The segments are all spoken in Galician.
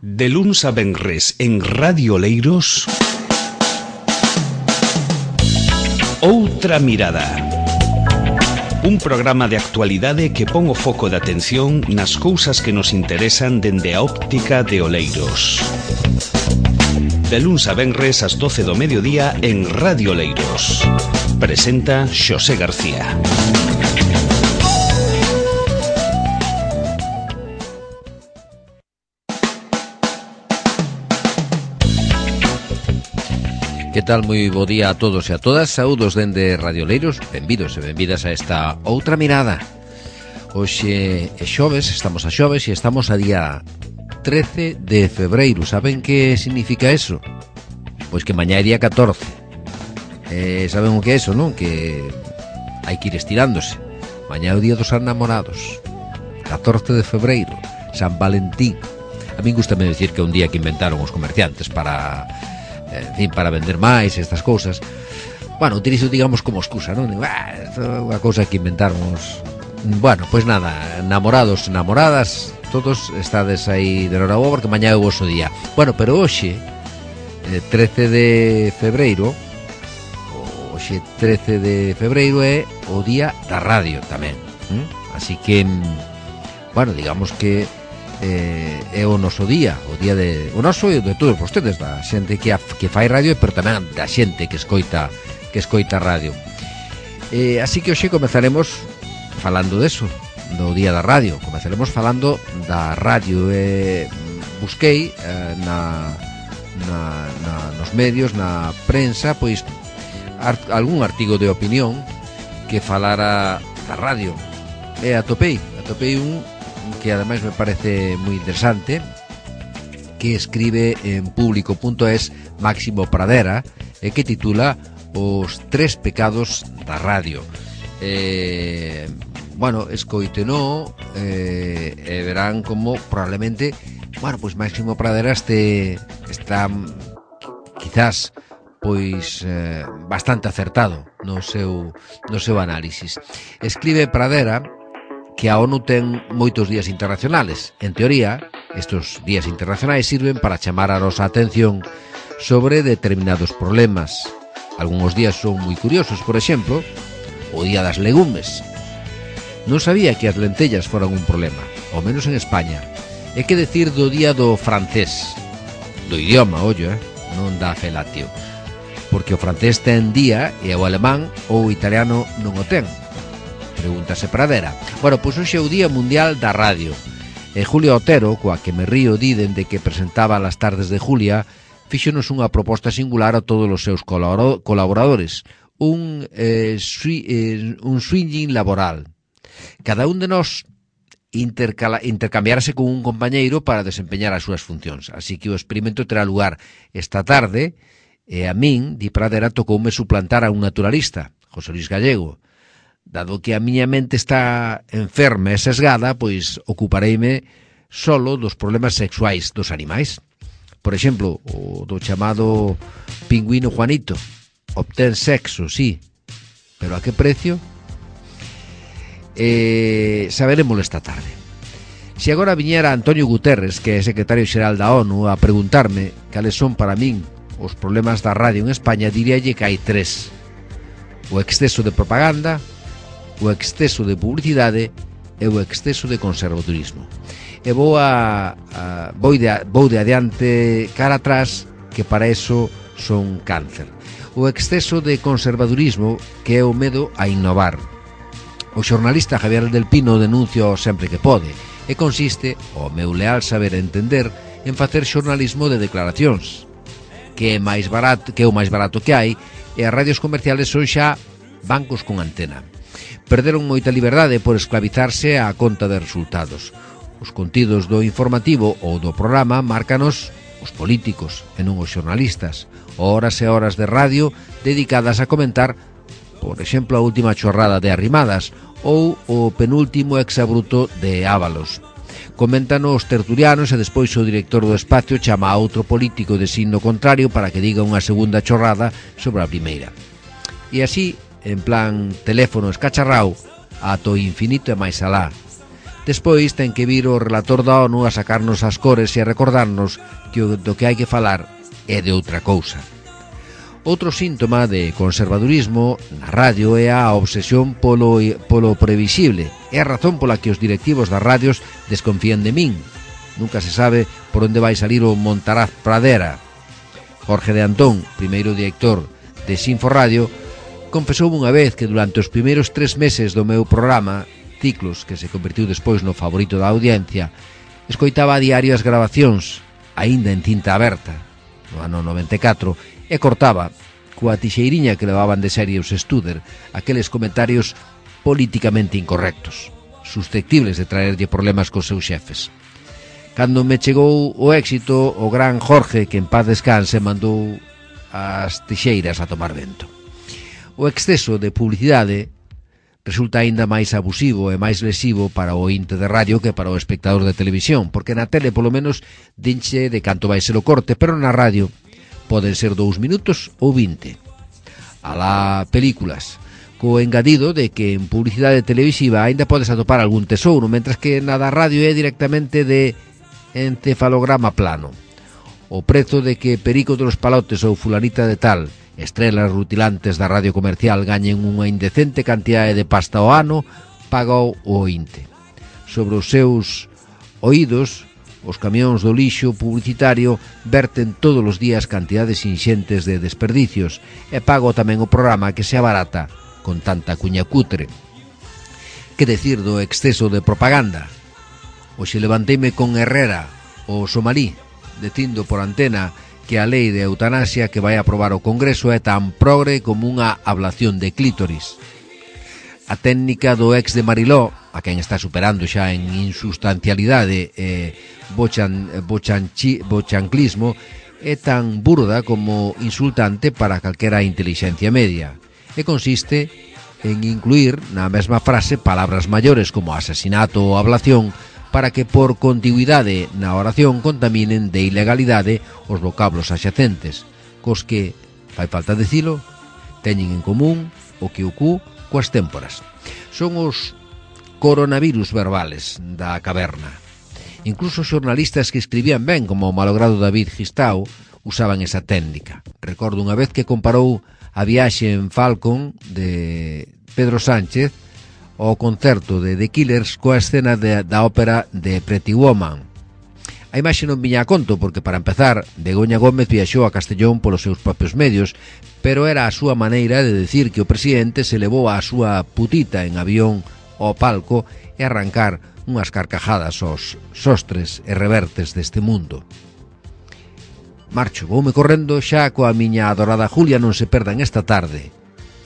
De luns a venres en Radio Oleiros, Outra Mirada. Un programa de actualidade que pon o foco de atención nas cousas que nos interesan dende a óptica de Oleiros. De luns a venres ás 12 do mediodía en Radio Oleiros. Presenta Xosé García. Que tal? Moi bo día a todos e a todas. Saúdos dende Radio Oleiros. Benvidos e benvidas a esta Outra Mirada. Hoxe é xoves, estamos a xoves e estamos a día 13 de febreiro. Saben que significa eso? Pois que mañá é día 14. Saben o que é eso, non? Que hai que ir estirándose. Mañá é o día dos enamorados. 14 de febreiro, San Valentín. A min gustame decir que é un día que inventaron os comerciantes para vender máis estas cousas. Bueno, utilizo, digamos, como excusa, non? Unha cousa que inventamos. Bueno, pois nada, namorados, namoradas, todos estades aí de noraboa porque mañá é o voso día. Bueno, pero hoxe, 13 de febreiro, hoxe 13 de febreiro é o día da radio tamén. Así que, bueno, digamos que é o noso día, o día de o noso e de todos vostedes, da xente que fai radio, pero tamén da xente que escoita radio. Así que hoxe comezaremos falando deso, do día da radio. Comezaremos falando da radio. Busquei nos medios, na prensa, pois algún artigo de opinión que falara da radio. Atopei un que ademais me parece moi interesante, que escribe en público.es Máximo Pradera, e que titula Os tres pecados da radio. Bueno, escoiteno e verán como probablemente, bueno, pois Máximo Pradera está quizás pois bastante acertado no seu análisis. Escribe Pradera que a ONU ten moitos días internacionales. En teoría, estos días internacionais sirven para chamar a nosa atención sobre determinados problemas. Algúns días son moi curiosos, por exemplo, o Día das Legumes. Non sabía que as lentellas foran un problema, ao menos en España. E que decir do Día do Francés? Do idioma, ollo, non da felatio. Porque o francés ten día e o alemán ou o italiano non o ten. Pregúntase Pradera. Bueno, pois hoxe é o Día Mundial da Radio. Julia Otero, coa que me río dende que presentaba Las Tardes de Julia, fíxonos unha proposta singular a todos os seus colaboradores. Un swinging laboral. Cada un de nós intercambiarse con un compañeiro para desempeñar as súas funcións. Así que o experimento terá lugar esta tarde e a min, di Pradera, tocoume suplantar a un naturalista, José Luis Gallego. Dado que a miña mente está enferma e sesgada, pois ocupareime solo dos problemas sexuais dos animais. Por exemplo, o do chamado pingüino Juanito. Obtén sexo, sí, pero a que precio? Saberemoslo esta tarde. Se agora viñera Antonio Guterres, que é secretario xeral da ONU, a preguntarme cales son para min os problemas da radio en España, diríalle que hai tres: o exceso de propaganda, o exceso de publicidade e o exceso de conservadurismo. E vou de adiante cara atrás, que para eso son cáncer. O exceso de conservadurismo, que é o medo a innovar. O xornalista Javier del Pino denuncia sempre que pode, e consiste, o meu leal saber entender, en facer xornalismo de declaracións, que é o máis barato que hai, e as radios comerciales son xa bancos con antena. Perderon moita liberdade por esclavizarse á conta de resultados. Os contidos do informativo ou do programa márcanos os políticos e non os xornalistas. Horas e horas de radio dedicadas a comentar, por exemplo, a última chorrada de Arrimadas ou o penúltimo exabruto de Ábalos. Comentan os tertulianos e despois o director do espacio chama a outro político de signo contrario para que diga unha segunda chorrada sobre a primeira. E así, en plan teléfono escacharrao, ata o infinito e máis alá. Despois ten que vir o relator da ONU a sacarnos as cores e a recordarnos que do que hai que falar é de outra cousa. Outro síntoma de conservadurismo na radio é a obsesión polo previsible. É a razón pola que os directivos das radios desconfían de min. Nunca se sabe por onde vai salir o Montaraz Pradera. Jorge de Antón, primeiro director de Sinforadio, confesou unha vez que durante os primeiros 3 meses do meu programa Ciclos, que se convertiu despois no favorito da audiencia, escoitaba a diario as grabacións, aínda en cinta aberta, no ano 94, e cortaba, coa tixeiriña que levaban de serie os Studer, aqueles comentarios políticamente incorrectos, susceptibles de traerlle problemas cos seus xefes. Cando me chegou o éxito, o gran Jorge, que en paz descanse, mandou as tixeiras a tomar vento. O exceso de publicidade resulta aínda máis abusivo e máis lesivo para o ointe de radio que para o espectador de televisión, porque na tele polo menos dinche de canto vai ser o corte, pero na radio poden ser 2 minutos ou 20. Alá películas, co engadido de que en publicidade televisiva aínda podes atopar algún tesouro, mentras que na da radio é directamente de encefalograma plano. O prezo de que Perico de los Palotes ou fulanita de tal, estrelas rutilantes da radio comercial, gañen unha indecente cantidade de pasta ao ano, pagou o ointe. Sobre os seus oídos, os camións do lixo publicitario verten todos os días cantidades inxentes de desperdicios e pago tamén o programa que se abarata con tanta cuña cutre. Que decir do exceso de propaganda? Hoxe levanteime con Herrera, o somalí, dicindo por antena que a lei de eutanasia que vai aprobar o Congreso é tan progre como unha ablación de clítoris. A técnica do ex de Mariló, a quen está superando xa en insustancialidade e bochanclismo, é tan burda como insultante para calquera inteligencia media, e consiste en incluir na mesma frase palabras maiores como asesinato ou ablación, para que por contigüidade na oración contaminen de ilegalidade os vocablos axacentes, cos que, fai falta dicilo, teñen en común o que o cu coas témporas. Son os coronavirus verbales da caverna. Incluso xornalistas que escribían ben, como o malogrado David Gistau, usaban esa técnica. Recordo unha vez que comparou a viaxe en Falcon de Pedro Sánchez o concerto de The Killers coa escena da ópera de Pretty Woman. A imaxe non viña a conto porque, para empezar, Begoña Gómez viaxou a Castellón polos seus propios medios, pero era a súa maneira de decir que o presidente se levou a súa putita en avión ao palco e arrancar unhas carcajadas aos sostres e revertes deste mundo. Marcho, voume correndo xa coa miña adorada Julia. Non se perdan esta tarde,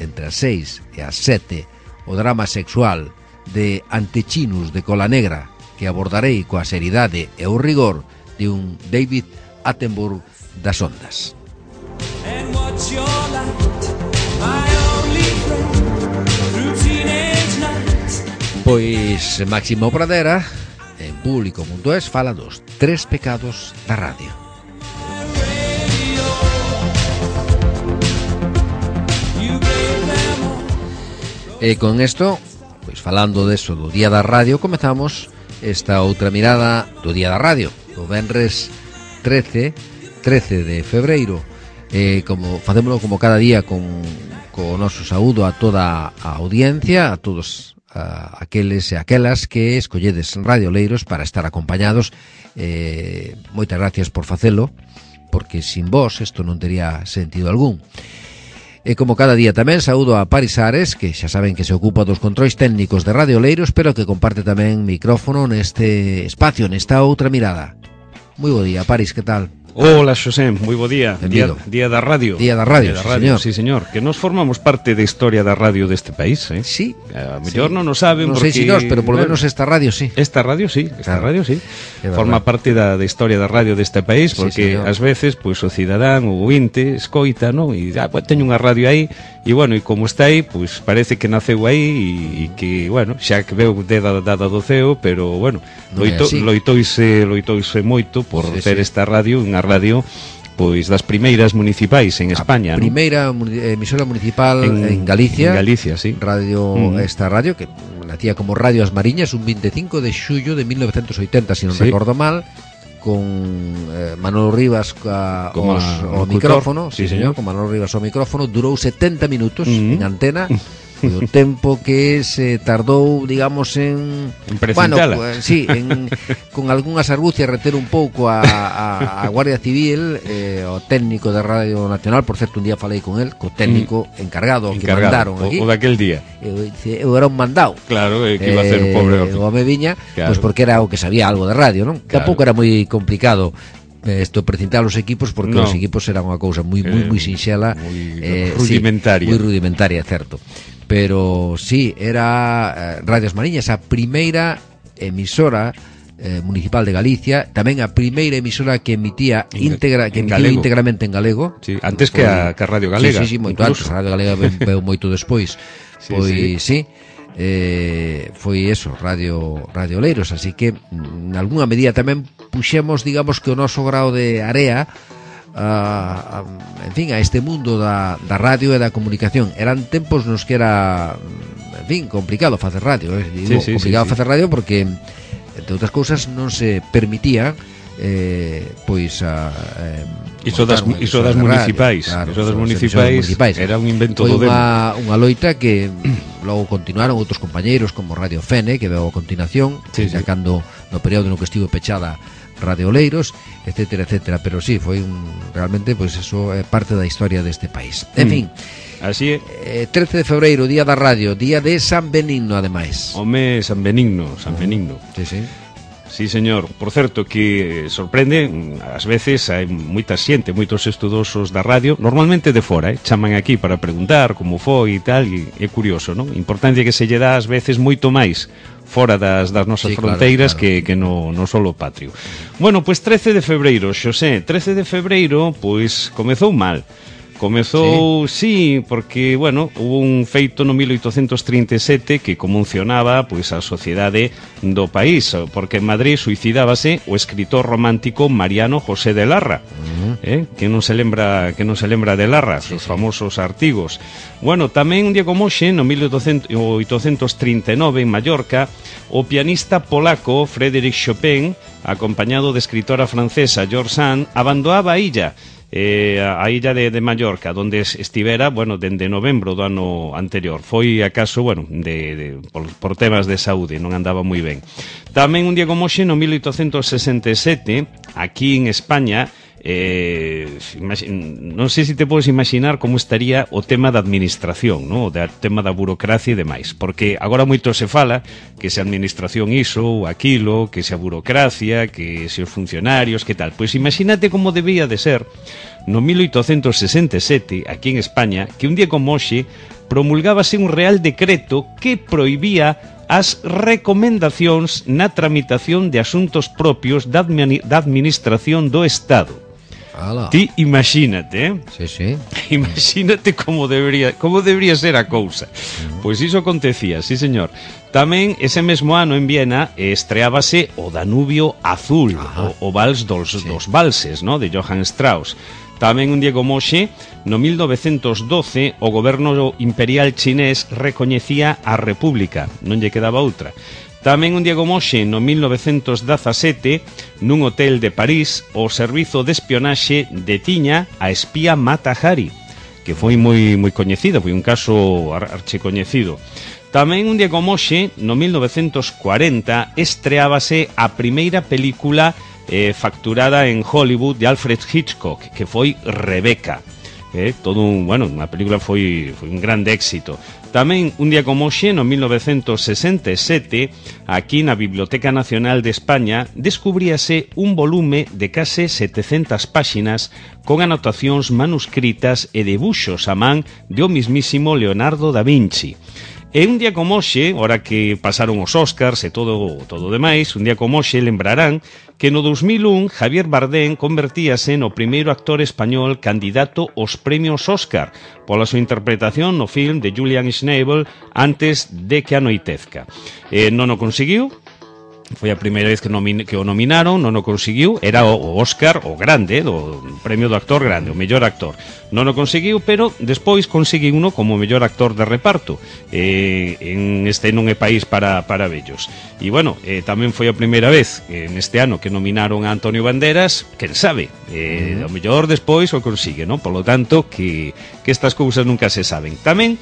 entre as 6 e as 7, o drama sexual de Antechinus de Cola Negra, que abordarei coa seriedade e o rigor de un David Attenborough das ondas. Pois Máximo Pradera, en Público.es, fala dos 3 pecados da radio. E con isto, pois falando deso do Día da Radio, comezamos esta outra mirada do Día da Radio, do venres 13 de febreiro. Como facémolo como cada día con o noso saúdo a toda a audiencia, a todos aqueles e aquelas que escolledes radioleiros para estar acompañados. Moitas gracias por facelo, porque sin vos isto non tería sentido algún. E como cada día tamén saúdo a Paris Ares, que xa saben que se ocupa dos controis técnicos de radioleiros, pero que comparte tamén micrófono neste espacio, nesta outra mirada. Moi bo día, Paris, que tal? Hola, Xosé, moi bo día. Día da radio. Día da radio, señor. Sí, señor. Que nos formamos parte da historia da radio deste país, eh? Sí. A mellor non o saben non porque... sei si nós, pero polo menos esta radio sí. Esta radio sí. Forma parte da historia da radio deste país, porque sí, ás veces, pois, o cidadán, o ointe, escoita, non? E teño unha radio aí, e, bueno, e como está aí, pois, parece que naceu aí, e que, bueno, xa que veu dada do ceo, pero, bueno, loitoise moito por ter esta radio, unha radio pois das primeiras municipais en España, a primeira emisora municipal en Galicia. En Galicia, sí. Esta radio que nacía como Radio As Mariñas un 25 de xullo de 1980, se non recordo mal, con Manolo Rivas ao micrófono, sí, señor, con Manolo Rivas ao micrófono, durou 70 minutos en antena. Foi o tempo que se tardou, digamos, en presentala. Bueno, sí, con algunhas argucias reter un pouco a Guardia Civil, o técnico da Radio Nacional. Por certo, un día falei con el, co técnico encargado que mandaron aquí. O daquel día. Eu era un mandado. Claro, que iba a ser o pobre o me viña, claro. Pois porque era o que sabía algo de radio, non? Claro. Tampouco era moi complicado isto precintar os equipos, porque os equipos eran unha cousa moi sinxela, rudimentaria. Sí, moi rudimentaria, certo. Pero sí, era Radio As Mariñas, a primeira emisora municipal de Galicia, tamén a primeira emisora que emitía íntegramente en galego. Sí, antes que a Radio Galega. Sí, moito antes, a Radio Galega veu moito despois. Pois sí. Foi eso, Radio Oleiros, así que en algunha medida tamén puxemos, digamos, que o noso grao de area en fin, a este mundo da radio e da comunicación. Eran tempos nos que era, en fin, complicado facer radio, complicado facer radio porque, entre outras cousas, non se permitía pois iso das municipais, claro, iso das municipais era un invento do demo. Foi unha loita que logo continuaron outros compañeiros como Radio Fene, que veo a continuación, cando no período no que estivo pechada Radio Oleiros, etcétera, etcétera, pero sí, foi realmente, pois eso é parte da historia deste país. En fin, así é. 13 de febreiro, día da radio, día de San Benigno, ademais. Home, San Benigno. Sí, sí. Sí, señor. Por certo, que sorprende, ás veces hai moita xente, moitos estudosos da radio, normalmente de fora, chaman aquí para preguntar como foi e tal, e é curioso, non? Importancia que se lle dá ás veces moito máis fora das nosas fronteiras, claro. que no solo patrio. Bueno, pois 13 de febreiro, Xosé, 13 de febreiro, pois comezou mal. Comezou, sí, porque, bueno, hubo un feito no 1837 que conmocionaba pois a sociedade do país, porque en Madrid suicidábase o escritor romántico Mariano José de Larra, que non se lembra de Larra, os famosos artigos. Bueno, tamén un día como hoxe, no 1839 en Mallorca, o pianista polaco Frédéric Chopin, acompañado de escritora francesa George Sand, abandonaba a illa de Mallorca, donde estivera, bueno, dende novembro do ano anterior. Foi acaso, bueno, por temas de saúde, non andaba moi ben. Tamén un día como hoxe, no 1867, aquí en España, non sei se te podes imaginar como estaría o tema da administración, no? O tema da burocracia e demais, porque agora moito se fala que se a administración iso ou aquilo, que se a burocracia, que se os funcionarios, que tal. Pois imagínate como debía de ser no 1867, aquí en España, que un día como hoxe promulgábase un real decreto que prohibía as recomendacións na tramitación de asuntos propios da administración do Estado. Ti imagínate, Sí. Imagínate como debería ser a cousa. Pois iso acontecía, sí, señor. Tamén ese mesmo ano en Viena estreábase o Danubio Azul, o Vals dos Valses, ¿no? De Johann Strauss. Tamén un día como hoxe, no 1912, o goberno imperial chinés recoñecía a República, non lle quedaba outra. Tamén un día como hoxe, no 1917, nun hotel de París, o servizo de espionaxe detiña a espía Mata Hari, que foi moi coñecido, foi un caso archecoñecido. Tamén un día como hoxe, no 1940, estreábase a primeira película facturada en Hollywood de Alfred Hitchcock, que foi Rebecca. Unha película foi un grande éxito. Tamén un día como hoxe, no 1967, aquí na Biblioteca Nacional de España descubríase un volume de case 700 páxinas con anotacións manuscritas e debuxos a man de o mismísimo Leonardo da Vinci. E un día como hoxe, ora que pasaron os Óscars e todo demais, un día como hoxe lembrarán que no 2001 Javier Bardem convertíase no primeiro actor español candidato aos premios Óscar pola súa interpretación no film de Julian Schnabel Antes de que anoitezca. Non o conseguiu, foi a primeira vez que o nominaron, non o conseguiu, era o Óscar, o grande, do premio do actor grande, o mellor actor. Non o conseguiu, pero despois conseguiu uno como mellor actor de reparto. En este non é país para vellos. E bueno, tamén foi a primeira vez neste ano que nominaron a Antonio Banderas, quen sabe, o mellor despois o consigue, non? Polo tanto, que estas cousas nunca se saben. Tamén,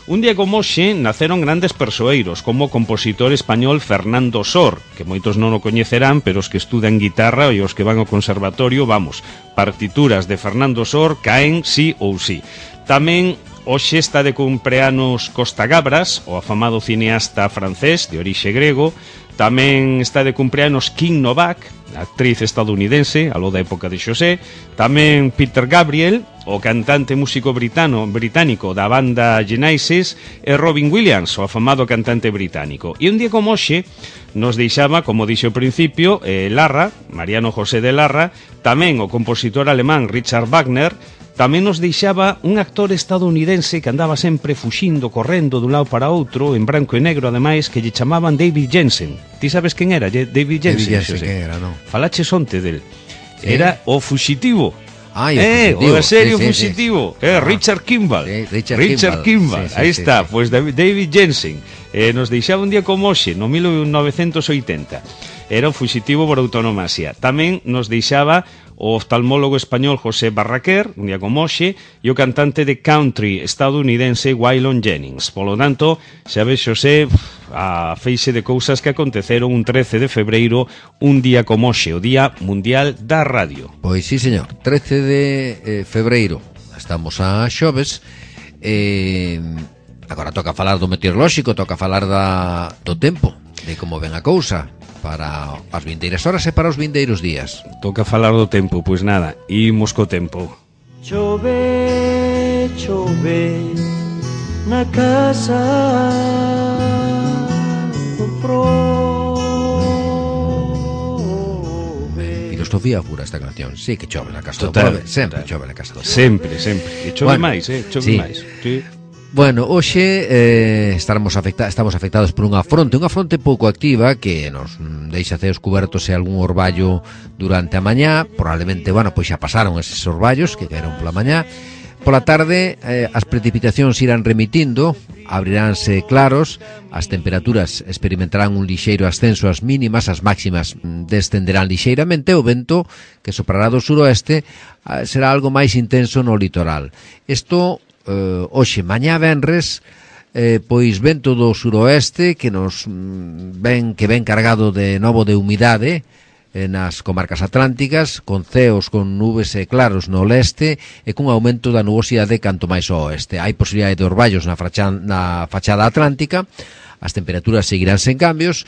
un día como hoxe naceron grandes persoeiros, como o compositor español Fernando Sor, que moitos non o coñecerán, pero os que estudan guitarra e os que van ao conservatorio, vamos, partituras de Fernando Sor caen sí ou sí. Tamén hoxe está de cumpleanos Costa Gabras, o afamado cineasta francés de orixe grego. Tamén está de cumpleanos Kim Novak, actriz estadounidense, aló da época de Xosé. Tamén Peter Gabriel, o cantante músico británico da banda Genesis, e Robin Williams, o afamado cantante británico. E un día como hoxe nos deixaba, como dixo ao principio, Larra, Mariano José de Larra, tamén o compositor alemán Richard Wagner. Tamén nos deixaba un actor estadounidense que andaba sempre fuxindo, correndo dun lado para outro, en branco e negro, ademais, que lle chamaban David Jensen. Ti sabes quen era, David Jensen? David Jensen, quen era, non? Falaches onte del. Sí. Era o fuxitivo. O serio fuxitivo. Richard Kimball. Sí, Richard Kimball. Aí está, pois David Jensen. Nos deixaba un día como hoxe, no 1980. Era o fuxitivo por autonomasia. Tamén nos deixaba o oftalmólogo español José Barraquer, un día como hoxe, e o cantante de country estadounidense Waylon Jennings. Polo tanto, xa ves, Xosé, a feixe de cousas que aconteceron un 13 de febreiro, un día como hoxe, o Día Mundial da Radio. Pois sí, señor, 13 de febreiro, estamos a xoves. Agora toca falar do meteorolóxico, toca falar do tempo, de como ven a cousa para as vindeiras horas e para os vindeiros días. Toca falar do tempo, pois nada, imos co tempo. Chove, chove na casa do prove. Filosofía pura esta canción. Sí que chove na casa do prove. Sempre chove na casa do prove. Sempre. E chove máis, chove sí. máis. Sí. Bueno, hoxe estamos afectados por unha fronte pouco activa que nos deixa ceos cubertos e algún orballo durante a mañá. Probablemente, pois xa pasaron eses orballos que caeron pola mañá. Pola tarde as precipitacións irán remitindo, abriránse claros, as temperaturas experimentarán un lixeiro ascenso ás mínimas, as máximas descenderán lixeiramente, o vento que soprará do suroeste será algo máis intenso no litoral. Isto hoxe, mañá venres, pois vento do suroeste que nos ven cargado de novo de humidade nas comarcas atlánticas, con ceos con nubes e claros no leste e cun aumento da nubosidade canto máis ao oeste. Hai posibilidade de orballos na fachada atlántica, as temperaturas seguirán sen cambios,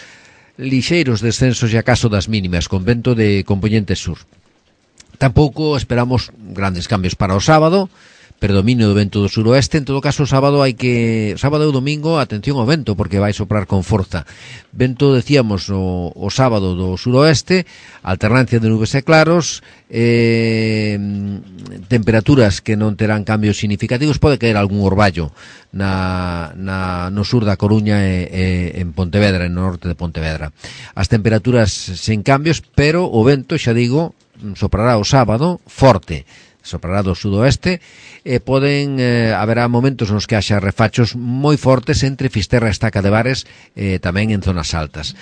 lixeiros descensos e acaso das mínimas con vento de componente sur. Tampouco esperamos grandes cambios para o sábado, predominio do vento do suroeste. En todo caso, sábado e o domingo, atención ao vento, porque vai soprar con forza. Vento, decíamos, o sábado do suroeste, alternancia de nubes e claros, temperaturas que non terán cambios significativos. Pode caer algún orballo no sur da Coruña e en Pontevedra, no norte de Pontevedra. As temperaturas sen cambios, pero o vento, xa digo, soprará o sábado forte, soprará do sudoeste e haberá momentos nos que haxa refachos moi fortes entre Fisterra e Estaca de Bares, tamén en zonas altas.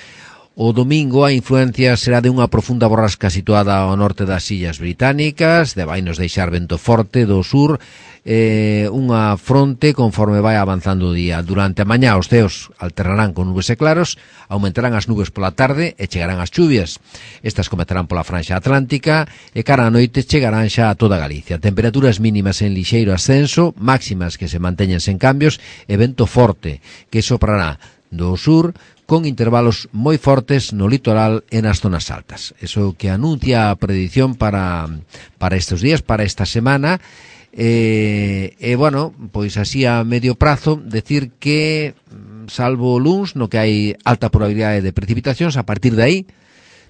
O domingo a influencia será de unha profunda borrasca situada ao norte das Illas Británicas, vai nos deixar vento forte do sur, unha fronte conforme vai avanzando o día. Durante a mañá os ceos alternarán con nubes e claros, aumentarán as nubes pola tarde e chegarán as chuvias. Estas comezarán pola franxa atlántica e cara a noite chegarán xa a toda Galicia. Temperaturas mínimas en lixeiro ascenso, máximas que se manteñen sen cambios e vento forte que soprará do sur con intervalos moi fortes no litoral e nas zonas altas. Eso que anuncia a predición para estes días, para esta semana. Bueno, pois así a medio prazo, decir que salvo o luns, no que hai alta probabilidade de precipitacións, a partir de aí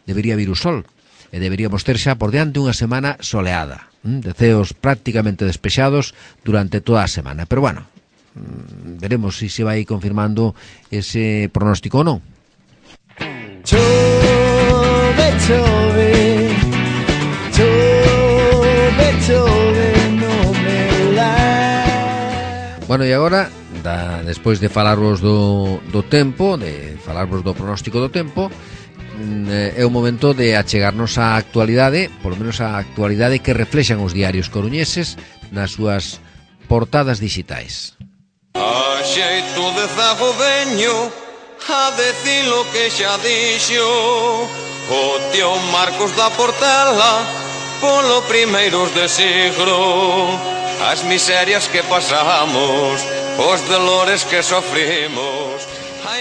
debería vir o sol e deberíamos ter xa por diante unha semana soleada, de ceos prácticamente despexados durante toda a semana. Pero bueno, veremos se vai confirmando ese pronóstico ou non. chove, chove, chove, non me la. Bueno, e agora, despois de falarvos do tempo, de falarvos do pronóstico do tempo, é o momento de achegarnos á actualidade, polo menos á actualidade que reflexan os diarios coruñeses nas súas portadas digitais. A xeito de zago veño a decir lo que xa dixo o tío Marcos da Portela polo primeiros de siglo, as miserias que pasamos, os dolores que sofrimos.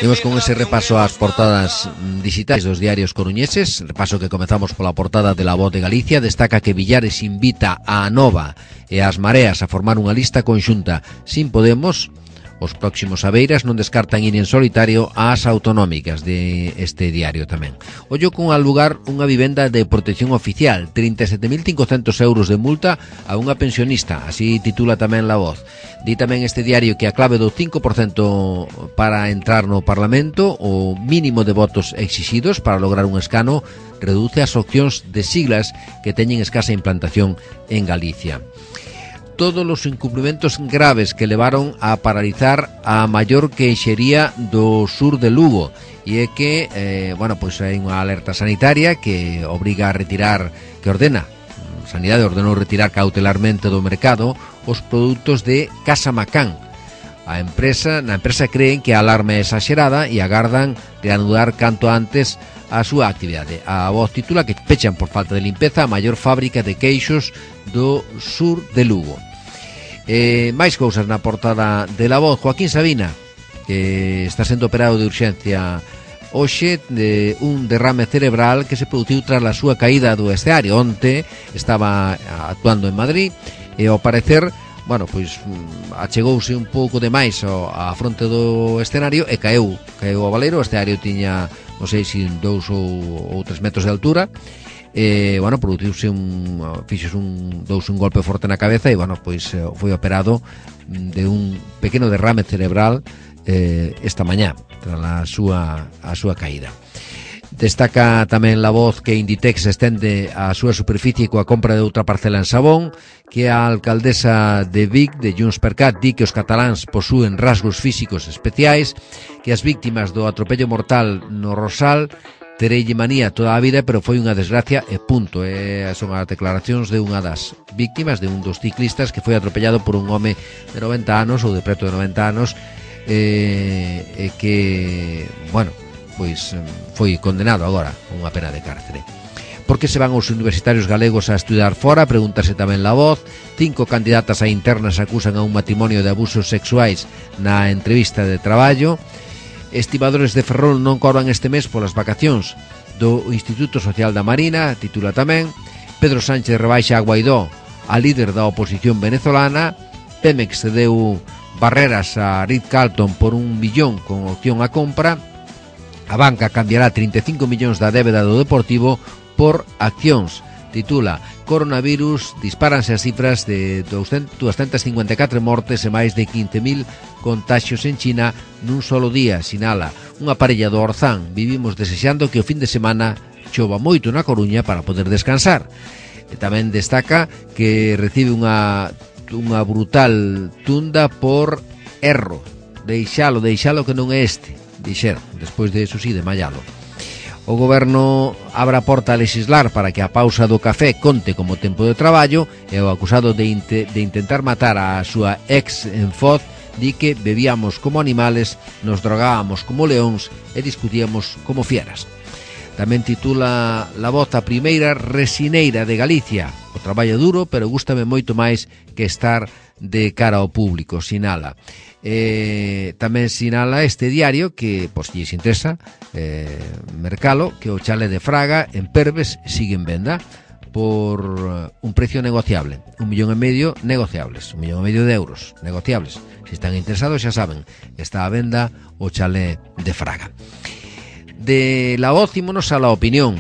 Imos con ese repaso ás portadas digitais dos diarios coruñeses. Repaso que comezamos pola portada de La Voz de Galicia. Destaca que Villares invita a Anova e as Mareas a formar unha lista conxunta sin Podemos. Os próximos Aveiras non descartan ir en solitario ás autonómicas de este diario tamén. Ollo con al lugar unha vivenda de protección oficial, 37.500 euros de multa a unha pensionista, así titula tamén La Voz. Di tamén este diario que a clave do 5% para entrar no Parlamento, o mínimo de votos exixidos para lograr un escano, reduce as opcións de siglas que teñen escasa implantación en Galicia. Todos os incumprimentos graves que levaron a paralizar a maior queixería do sur de Lugo, e é que, pois hai unha alerta sanitaria que obriga a retirar, que ordena, Sanidade ordenou retirar cautelarmente do mercado os produtos de Casa Macán. Na empresa creen que a alarma é exagerada e agardan reanudar canto antes a súa actividade. A Voz titula que pechan por falta de limpeza a maior fábrica de queixos do sur de Lugo. Máis cousas na portada de La Voz. Joaquín Sabina, que está sendo operado de urxencia hoxe de un derrame cerebral que se produciu tras a súa caída do escenario. Onte estaba actuando en Madrid e ao parecer, achegouse un pouco demais á fronte do escenario e caeu ao baleiro. O escenario tiña, non sei se 2 ou 3 metros de altura. Produciuse un golpe forte na cabeza e foi operado de un pequeno derrame cerebral esta mañá tras a súa caída. Destaca tamén La Voz que Inditex estende a súa superficie coa compra de outra parcela en Sabón, que a alcaldesa de Vic, de JxCat, di que os cataláns posúen rasgos físicos especiais, que as víctimas do atropello mortal no Rosal tereille manía toda a vida, pero foi unha desgracia e punto. Son as declaracións de unha das víctimas, de un dos ciclistas que foi atropellado por un home de 90 anos ou de preto de 90 anos que, foi condenado agora a unha pena de cárcere. Por que se van os universitarios galegos a estudar fora? Pregúntase tamén La Voz. 5 candidatas a internas acusan a un matrimonio de abusos sexuais na entrevista de traballo. Estibadores de Ferrol non cobran este mes polas vacacións do Instituto Social da Marina, titula tamén. Pedro Sánchez rebaixa a Guaidó, a líder da oposición venezolana. Pemex cedeu Barreras a Ritz-Carlton por 1 billón con opción a compra. A banca cambiará 35 millóns da débeda do Deportivo por accións. Titula Coronavirus, dispáranse as cifras de 254 mortes e máis de 15.000 contaxios en China nun solo día, sinala unha parella do Orzán. Vivimos desexando que o fin de semana chova moito na Coruña para poder descansar. E tamén destaca que recibe unha brutal tunda por erro. Deixalo que non é este, dixeron, despois de eso sí, de mallalo. O goberno abre a porta a lexislar para que a pausa do café conte como tempo de traballo, e o acusado de intentar matar a súa ex en Foz di que bebíamos como animales, nos drogábamos como leóns e discutíamos como fieras. Tamén titula La Voz a primeira resineira de Galicia. O traballo duro, pero gústame moito máis que estar de cara ao público, sinala. Tamén sinala este diario que, pois, lles interesa mercalo, que o chale de Fraga en Perves sigue en venda por un precio negociable, 1,5 millón negociables, 1,5 millón de euros negociables. Se están interesados, xa saben, está a venda o chale de Fraga. De La Voz ímonos a La Opinión,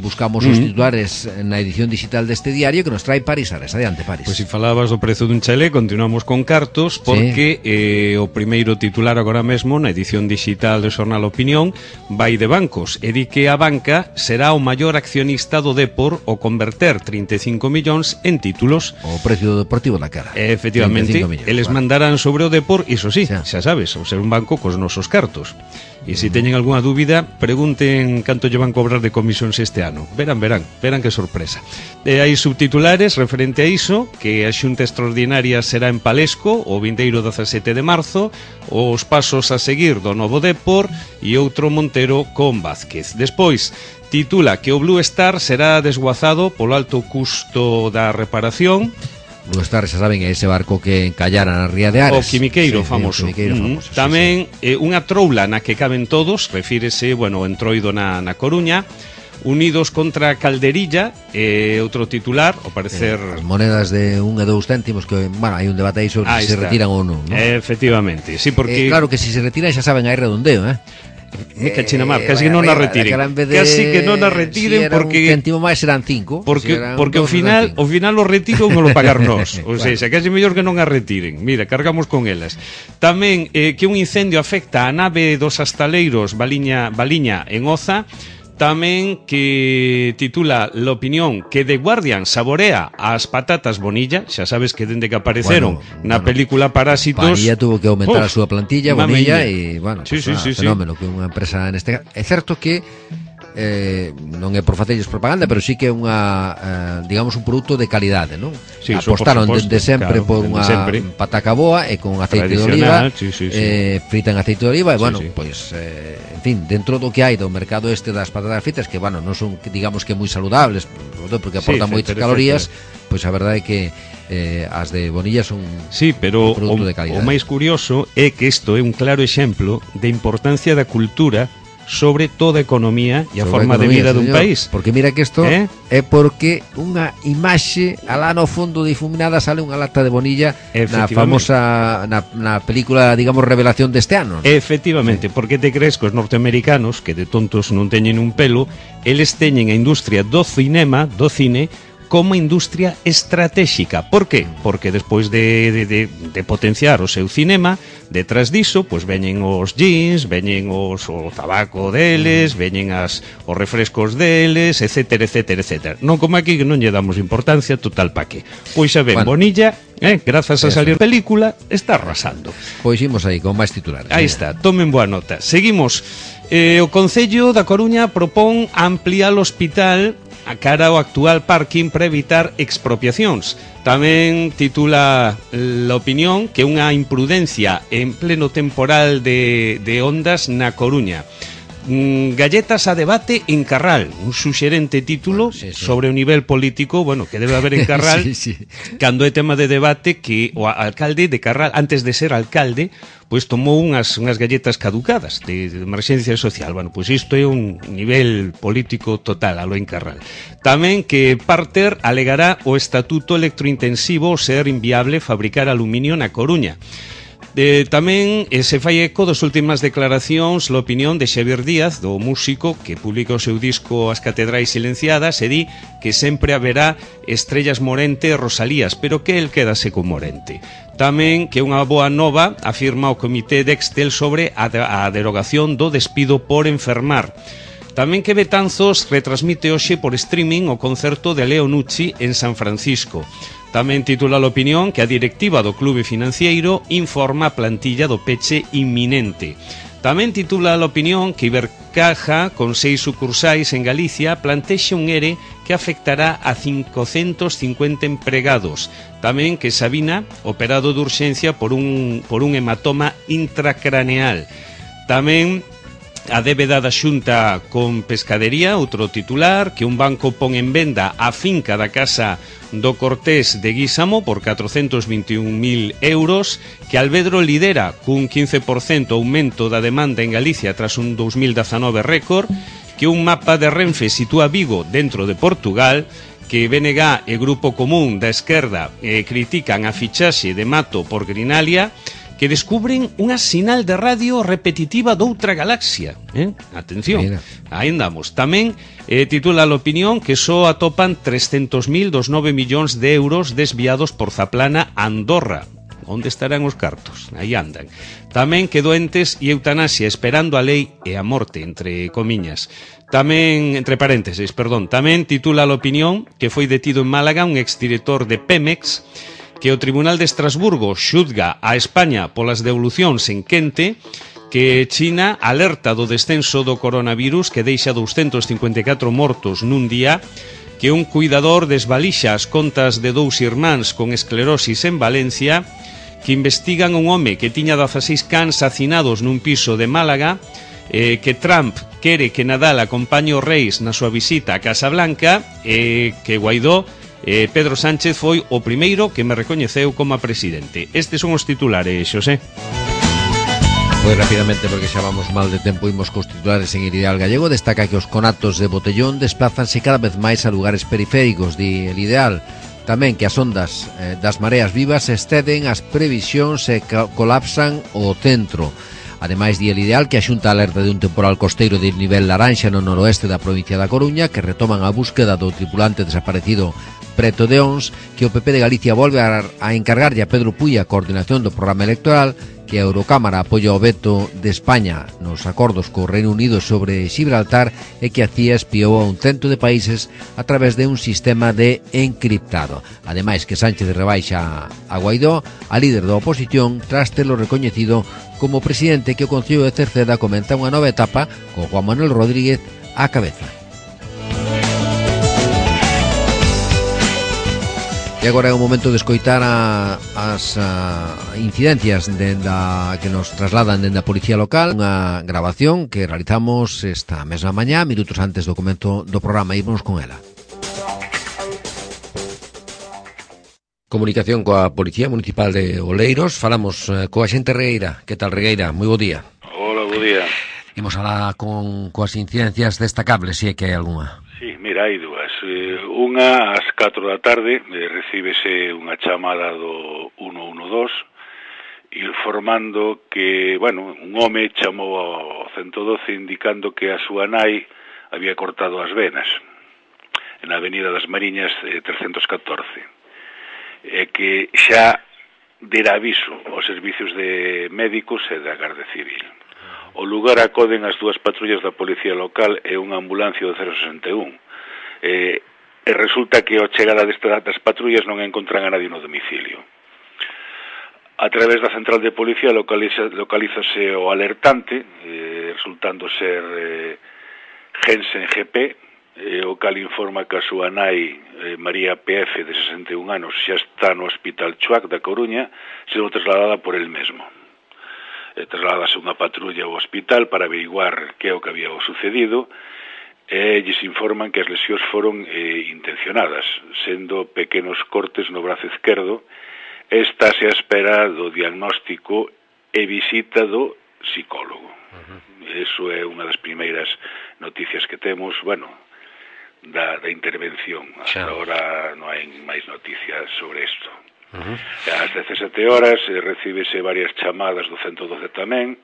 buscamos os titulares na edición digital deste diario que nos trae Paris Ares. Adiante, Paris. Pois se falabas do prezo dun chalé, continuamos con cartos, porque o primeiro titular agora mesmo na edición digital do xornal Opinión vai de bancos, e di que a banca será o maior accionista do Depor ao converter 35 millóns en títulos. O precio do Deportivo da cara. Efectivamente, eles mandarán sobre o Depor, iso sí, xa sabes, ao ser un banco cos nosos cartos. E se teñen algunha dúbida, pregunten canto lle van cobrar de comisións este ano. Verán que sorpresa. Hai subtitulares referente a iso, que a xunta extraordinaria será en Palesco o vindeiro 17 de marzo, os pasos a seguir do novo Depor e outro Montero con Vázquez. Despois, titula que o Blue Star será desguazado polo alto custo da reparación. Blue Star, xa saben, é ese barco que encallara na ría de Ares. O quimiqueiro famoso. Famoso. Tamén unha troula na que caben todos, refírese, bueno, o entroido na Coruña. Unidos contra Calderilla, outro titular, ao parecer... As monedas de 1 e 2 céntimos, que, bueno, hai un debate aí sobre se retiran ou non, ¿no? Efectivamente, sí, porque... Claro que se retiran, xa saben, hai redondeo, Me cachina mar, casi que non a retiren. Casi que non a retiren, porque un céntimo máis serán 5. Porque ao final o retiro non lo pagar nós. O sea, casi mellor que non a retiren. Mira, cargamos con elas. Tamén que un incendio afecta a nave dos astaleiros Baliña en Oza. Tamén que titula L'Opinión que The Guardian saborea as patatas Bonilla. Xa sabes que dende que apareceron na película Parásitos, Bonilla tuvo que aumentar a súa plantilla, Bonilla, e, bueno, sí, fenómeno que unha empresa neste... É certo que non é por facerlles propaganda, pero sí que é unha digamos un produto de calidade, non? Sí, apostaron dende sempre, claro, por unha pataca boa e con aceite de oliva, frita en aceite de oliva, e bueno, pois en fin, dentro do que hai do mercado este das patatas fritas, que bueno, non son, digamos que moi saludables, porque aportan moitas calorías, pois a verdade é que as de Bonilla son pero un produto de calidade. O máis curioso é que isto é un claro exemplo de importancia da cultura sobre toda a economía e a forma de vida dun país. Porque mira que isto é porque unha imaxe alá no fondo difuminada sale unha lata de Bonilla na famosa na película, digamos, revelación deste ano. Efectivamente, porque te crees que os norteamericanos, que de tontos non teñen un pelo, eles teñen a industria do cinema, do cine, como industria estratégica. Por qué? Porque despois de potenciar o seu cinema, detrás diso, pois veñen os jeans, veñen o tabaco deles, veñen os refrescos deles, etcétera, etcétera, etcétera. Non como aquí que non lle damos importancia, total pa que. Pois xa ven, Bonilla, grazas a salir película, está arrasando. Pois imos aí con máis titulares. Aí está, tomen boa nota. Seguimos. O Concello da Coruña propón ampliar o hospital a cara ao actual parking para evitar expropiacións. Tamén titula L'Opinión que unha imprudencia en pleno temporal de ondas na Coruña. Galletas a debate en Carral, un suxerente título sobre o nivel político, bueno, que debe haber en Carral cando é tema de debate, que o alcalde de Carral, antes de ser alcalde, pois tomou unhas galletas caducadas de emerxencia social. Bueno, pois isto é un nivel político total a lo en Carral. Tamén que Parter alegará o estatuto electrointensivo ser inviable fabricar aluminio na Coruña. Tamén se fai eco das últimas declaracións L'Opinión de Xavier Díaz, do músico que publica o seu disco As Catedrais Silenciadas, e di que sempre haberá Estrellas Morente e Rosalías, pero que el quedase con Morente. Tamén que unha boa nova afirma o comité de Excel sobre a derogación do despido por enfermar. Tamén que Betanzos retransmite hoxe por streaming o concerto de Leo Nucci en San Francisco. Tamén titula L'Opinión que a directiva do clube financiero informa a plantilla do peche inminente. Tamén titula L'Opinión que Ibercaja, con 6 sucursais en Galicia, plantexa un ERE que afectará a 550 empregados. Tamén que Sabina, operado de urxencia por un hematoma intracraneal. Tamén a débeda da Xunta con Pescadería, outro titular, que un banco pon en venda a finca da casa do Cortés de Guísamo por 421.000 euros, que Alvedro lidera cun 15% aumento da demanda en Galicia tras un 2019 récord, que un mapa de Renfe sitúa Vigo dentro de Portugal, que BNG e Grupo Común da Esquerda critican a fichaxe de Mato por Grinalia, que descubren unha sinal de radio repetitiva doutra galaxia. Atención, mira. Aí andamos. Tamén titula a opinión que só atopan 300.000 dos 9 millóns de euros desviados por Zaplana a Andorra. Onde estarán os cartos? Aí andan. Tamén que doentes e eutanasia esperando a lei e a morte, entre comiñas. Tamén, entre paréntesis, perdón, tamén titula a opinión que foi detido en Málaga un exdirector de Pemex, que o Tribunal de Estrasburgo xuzga a España polas devolucións en quente, que China alerta do descenso do coronavirus que deixa 254 mortos nun día, que un cuidador desvalixa as contas de 2 irmáns con esclerosis en Valencia, que investigan un home que tiña 16 cans hacinados nun piso de Málaga, que Trump quere que Nadal acompañe os reis na súa visita a Casa Blanca, que Guaidó, Pedro Sánchez foi o primeiro que me recoñeceu como presidente. Estes son os titulares, Xosé. Pois rapidamente, porque xa vamos mal de tempo, imos cos titulares en Ideal Gallego. Destaca que os conatos de Botellón desplázanse cada vez máis a lugares periféricos, di el Ideal. Tamén que as ondas das mareas vivas exceden as previsións e colapsan o centro. Ademais, di el Ideal que a Xunta alerta de un temporal costeiro de nivel laranxa no noroeste da provincia da Coruña, que retoman a búsqueda do tripulante desaparecido preto de Ons, que o PP de Galicia volve a encargarlle a Pedro Puy a coordinación do programa electoral, que a Eurocámara apoia o veto de España nos acordos co Reino Unido sobre Gibraltar e que a CIA espiou a un cento de países a través de un sistema de encriptado. Ademais, que Sánchez rebaixa a Guaidó, a líder da oposición, tras telo recoñecido como presidente, que o Concello de Cerceda comenta unha nova etapa con Juan Manuel Rodríguez á cabeza. E agora é o momento de escoitar as incidencias que nos trasladan dende a Policía Local. Unha grabación que realizamos esta mesma mañá, minutos antes do comezo do programa. Ímonos con ela. Comunicación coa Policía Municipal de Oleiros. Falamos coa xente Regueira. Que tal, Regueira? Moi bo día. Hola, bo día. Imos alá coas incidencias destacables, se é que hai algunha. Sí, mira, hai dúas. Unha, ás 4 da tarde, recíbese unha chamada do 112 informando que, bueno, un home chamou ao 112 indicando que a súa nai había cortado as venas na Avenida das Mariñas 314 e que xa dera aviso aos servicios de médicos e da Garda Civil. O lugar acoden as dúas patrullas da Policía Local e unha ambulancia do 061. E resulta que ao chegada das patrullas non encontran a nadie no domicilio. A través da central de policía localízase o alertante, resultando ser Gensen GP, o cal informa que a súa nai, María PF, de 61 anos, xa está no Hospital Chuac da Coruña, sendo trasladada por el mesmo. Trasladase unha patrulla ao hospital para averiguar que é o que había sucedido e lles informan que as lesións foron intencionadas, sendo pequenos cortes no brazo esquerdo. Estáse a espera do diagnóstico e visita do psicólogo. Eso é unha das primeiras noticias que temos, bueno, da intervención. Hasta ahora non hai máis noticias sobre isto. Ás 17 horas recíbese varias chamadas do 112 tamén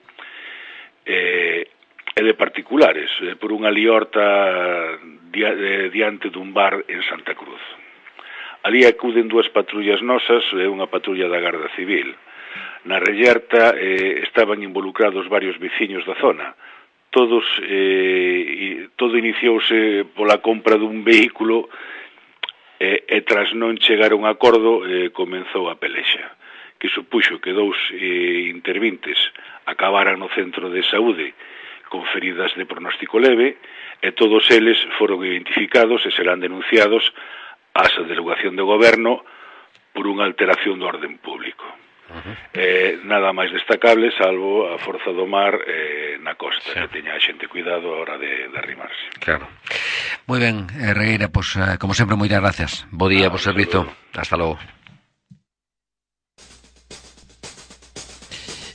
e de particulares por unha liorta diante dun bar en Santa Cruz. Ali acuden dúas patrullas nosas e unha patrulla da Garda Civil. Na rellerta estaban involucrados varios veciños da zona. Todo iniciouse pola compra dun vehículo e tras non chegar a un acordo comenzou a pelexa, que supuxo que dous intervintes acabaran no centro de saúde con feridas de pronóstico leve e todos eles foron identificados e serán denunciados á delegación de goberno por unha alteración do orden público. Nada máis destacable salvo a forza do mar na costa, que teña a xente cuidado a hora de arrimarse. Claro. Moi ben, Regueira, pois, como sempre, moitas gracias. Bo día, bo servizo. Hasta logo.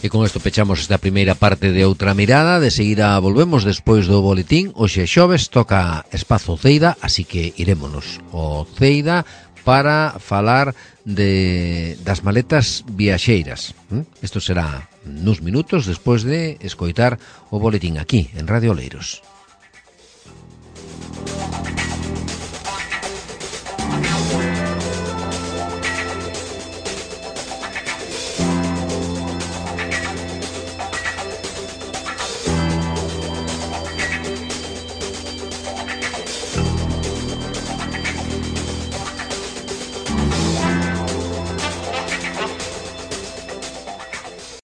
E con isto pechamos esta primeira parte de Outra Mirada. De seguida volvemos despois do boletín. Hoxe xoves toca Espazo Ceida, así que irémonos ao Ceida para falar das maletas viaxeiras. Isto será nuns minutos despois de escoitar o boletín aquí, en Radio Oleiros.